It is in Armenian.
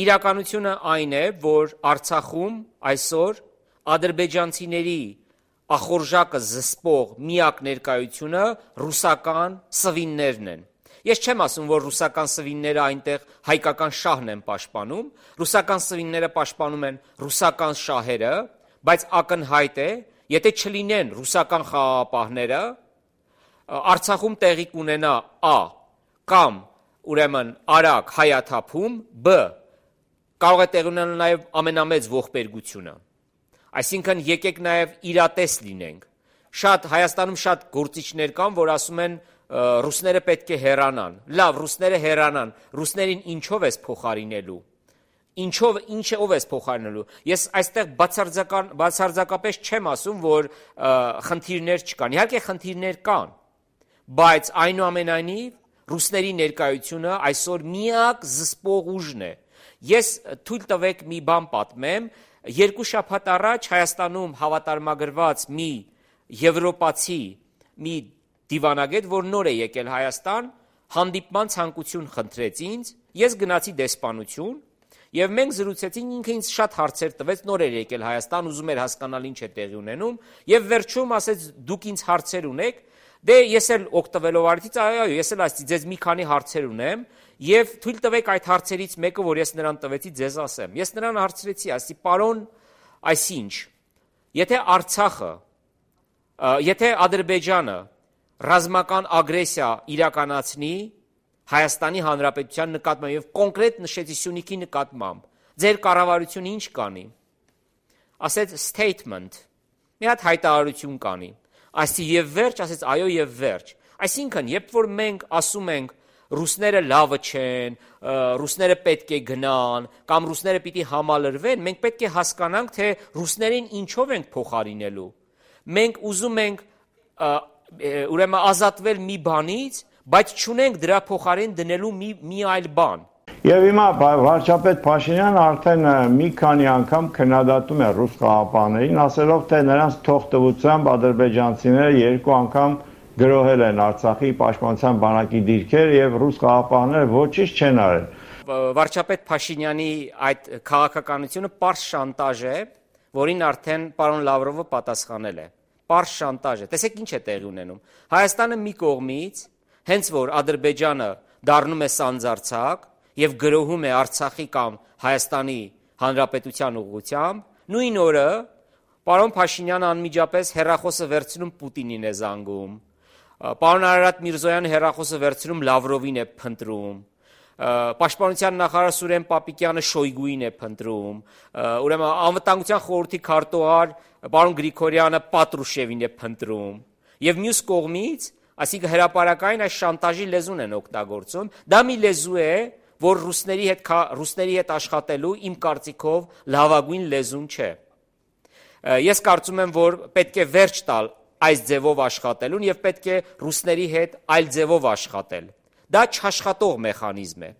իրականությունը այն է, որ Արցախում այսօր ադրբեջանցիների ախորժակը զսպող միակ ներկայությունը ռուսական սվիններն են։ Ես չեմ ասում, որ ռուսական սվինները այնտեղ հայկական շահն են պաշտպանում, ռուսական սվինները պաշտպանում են ռուսական շահերը, բայց ակնհայտ է, եթե չլինեն ռուսական խաղաղապահները, Արցախում տեղի կունենա Ա. կամ ուրեմն արագ հայաթափում, Բ. կարող է տեղի ունենալ նաև ամենամեծ ողբերգությունը։ Այսինքն եկեք նաև իրատես լինենք։ Հայաստանում շատ գործիչներ կան, որ ասում են ռուսները պետք է հեռանան։ Լավ, ռուսները հեռանան, ռուսներին ինչով ես փոխարինելու։ Ով ես փոխարինելու։ Ես այստեղ բացարձակապես չեմ ասում, որ խնդիրներ չկան։ Իհարկե խնդիրներ կան, բայց այնուամենայնիվ ռուսների ներկայությունը այսօր միակ զսպող ուժն է։ Ես թույլ տվեք մի բան պատմեմ, 2 շաբաթ առաջ Հայաստանում հավատարմագրված մի եվրոպացի մի դիվանագետ, որ նոր է եկել Հայաստան, հանդիպման ցանկություն խնդրեց ինձ, ես գնացի դեսպանություն եւ մենք զրուցեցինք, ինքը ինձ շատ հարցեր տվեց, նոր էր եկել Հայաստան, ուզում էր հասկանալ ինչ է տեղի ունենում եւ վերջում ասեց դուք ինձ հարցեր ունեք, դե ես էլ օգտվելով արդից, այո, ես էլ ասեցի ձեզ մի քանի հարցեր ունեմ եւ թույլ տվեք այդ հարցերից մեկը, որ ես նրան տվեցի, ձեզ ասեմ։ Ես նրան հարցրեցի, ասի պարոն, այսինչ, եթե Ադրբեջանը ռազմական ագրեսիա իրականացնի Հայաստանի Հանրապետության նկատմամբ եւ կոնկրետ նշեցի Սյունիքի նկատմամբ, ձեր կառավարությունը ինչ կանի։ Ասեց statement, մի հատ հայտարարություն կանի։ Այսի եւ վերջ, ասեց այո եւ վերջ։ Այսինքն, երբ որ մենք ասում ենք ռուսները լավը չեն, ռուսները պետք է գնան, կամ ռուսները պիտի համալրվեն, մենք պետք է հասկանանք, թե ռուսներին ինչով ենք փոխարինելու։ Մենք ուզում ենք ուրեմն ազատվել մի բանից, բայց չունենք դրա փոխարեն դնելու մի այլ բան։ Եվ հիմա վարչապետ Փաշինյանը արդեն մի քանի անգամ քննադատում է ռուս խաղաղապահներին, ասելով, թե նրանց թողտվությամբ ադրբեջանցիները 2 անգամ գրոհել են Արցախի պաշտպանության բանակի դիրքեր եւ ռուս խաղաղապահները ոչինչ չեն արել։ Վարչապետ Փաշինյանի այդ քաղաքականությունը պարզ շանտաժ է, որին արդեն պարոն Լավրովը պատասխանել է։ Պարզ շանտաժ է։ Տեսեք ինչ է տեղի ունենում։ Հայաստանը մի կողմից, հենց որ Ադրբեջանը դառնում է սանձարձակ եւ գրոհում է Արցախի կամ Հայաստանի Հանրապետության ուղղությամբ, նույն օրը պարոն Փաշինյանը անմիջապես հեռախոսը վերցնում Պուտինին է զանգում, պարոն Արարատ Միրզոյանը հեռախոսը վերցնում Լավրովին է փնտրում, Պաշտպանության նախարար Սուրեն Պապիկյանը Շոյգուին է փնտրում, ուրեմն անվտանգության խորհրդի քարտուղար պարոն Գրիգորյանը Պատրուշևին է փնտրում, եւ մյուս կողմից, այսինքն հրապարակային այս շանտաժի լեզուն են օգտագործում, դա մի լեզու է, որ ռուսների հետ աշխատելու իմ կարծիքով լավագույն լեզուն չէ։ Ես կարծում եմ, որ պետք է վերջ տալ այս ձևով աշխատելուն եւ պետք է ռուսների հետ այլ ձևով աշխատել։ Դա չաշխատող մեխանիզմ է։